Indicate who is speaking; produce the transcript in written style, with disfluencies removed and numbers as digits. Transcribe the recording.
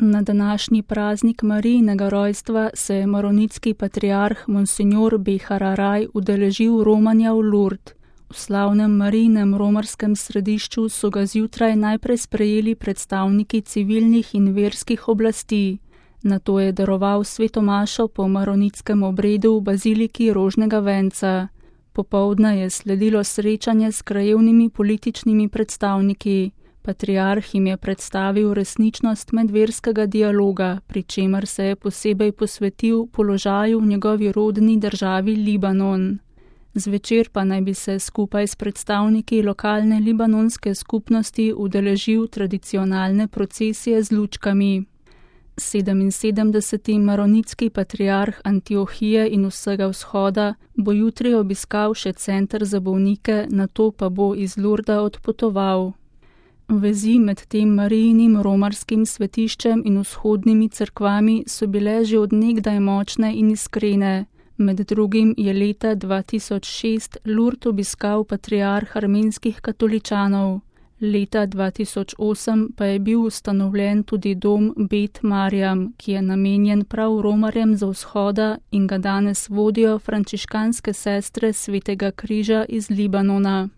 Speaker 1: Na današnji praznik Marijinega rojstva se je maronitski patriarh Monsignor Behararaj udeležil romanja v Lourdes. V slavnem Marijinem romarskem središču so ga zjutraj najprej sprejeli predstavniki civilnih in verskih oblasti. Nato je daroval sveto mašo po maronitskem obredu v baziliki Rožnega venca. Popoldne je sledilo srečanje s krajevnimi političnimi predstavniki. Patriarh jim je predstavil resničnost medverskega dialoga, pri čemer se je posebej posvetil položaju v njegovi rodni državi Libanon. Zvečer pa naj bi se skupaj s predstavniki lokalne libanonske skupnosti udeležil tradicionalne procesije z lučkami. 77. maronitski patriarh Antiohije in vsega vzhoda bo jutri obiskal še center za bolnike, nato pa bo iz Lourda odpotoval. Vezi med tem Marijinim romarskim svetiščem in vzhodnimi cerkvami so bile že od nekdaj močne in iskrene. Med drugim je leta 2006 Lourdes obiskal patriarh armenskih katoličanov. Leta 2008 pa je bil ustanovljen tudi dom Bet Marjam, ki je namenjen prav romarjem z vzhoda in ga danes vodijo frančiškanske sestre Svetega križa iz Libanona.